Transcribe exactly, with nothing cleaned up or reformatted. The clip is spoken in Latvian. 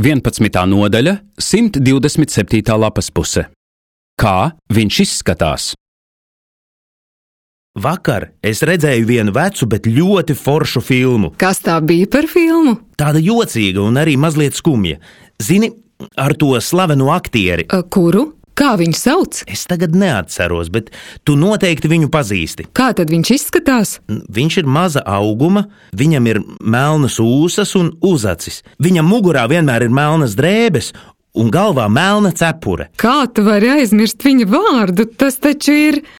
vienpadsmitā nodaļa, simt divdesmit septītā lapas puse. Kā viņš izskatās? Vakar es redzēju vienu vecu, bet ļoti foršu filmu. Kas tā bija par filmu? Tāda jocīga un arī mazliet skumja. Zini, ar to slaveno aktieri. A, kuru? Kā viņu sauc? Es tagad neatceros, bet tu noteikti viņu pazīsti. Kā tad viņš izskatās? Viņš ir maza auguma, viņam ir melnas ūsas un uzacis. Viņam mugurā vienmēr ir melnas drēbes un galvā melna cepure. Kā tu vari aizmirst viņa vārdu? Tas taču ir...